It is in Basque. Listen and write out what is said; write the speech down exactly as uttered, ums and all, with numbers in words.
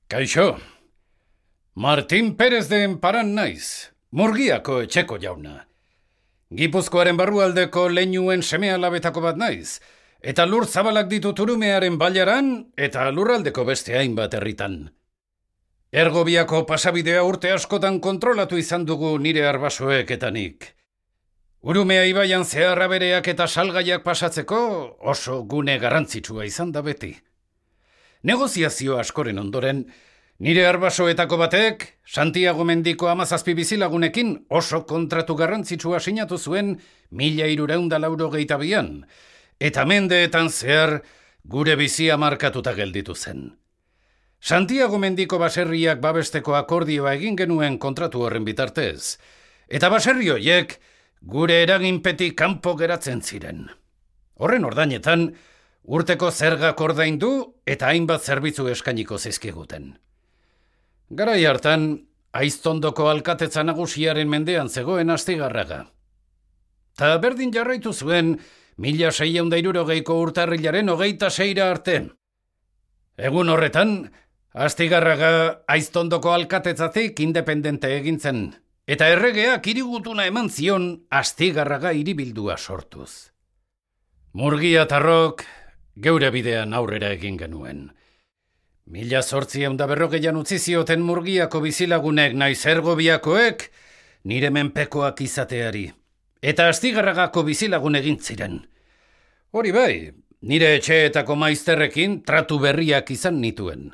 Kaixo, Martin Perez de Enparan naiz, Murgiako etxeko jauna. Gipuzkoaren barrualdeko leinuen seme-alabetako bat naiz, eta lur zabalak ditut Urumearen bailaran eta lurraldeko beste hainbat herritan. Ergobiako pasabidea urte askotan kontrolatu izan dugu nire arbasoek eta nik. Urumea ibaian zeharra bereak eta salgaiak pasatzeko oso gune garrantzitsua izan da beti. Negoziazio askoren ondoren, nire arbasoetako batek, Santiago mendiko hamazazpi bizilagunekin oso kontratu garrantzitsua sinatu zuen mila hirurehun eta laurogeita bian, eta mendeetan zehar gure bizia markatuta gelditu zen. Santiago mendiko baserriak babesteko akordioa egin genuen kontratu horren bitartez, eta baserri horiek gure eraginpetik kanpo geratzen ziren. Horren ordainetan, urteko zergak ordaindu eta hainbat zerbitzu eskainiko zizkiguten. Garai hartan, Aiztondoko alkatetza nagusiaren mendean zegoen Astigarraga. Ta berdin jarraitu zuen mila seiehun eta hirurogeiko urtarrilaren hogeita seira arte. Egun horretan, Astigarraga Aiztondoko alkatetzatik independente egin zen, eta erregeak hirigutuna eman zion Astigarraga hiribildua sortuz. Murgiatarrok geure bidean aurrera egin genuen. Mila zortziehun eta berrogeian utzi zioten Murgiako bizilagunek naiz Ergobiakoek nire menpekoak izateari, eta Astigarragako bizilagun egin ziren. Hori bai, nire etxeetako maizterrekin tratu berriak izan nituen.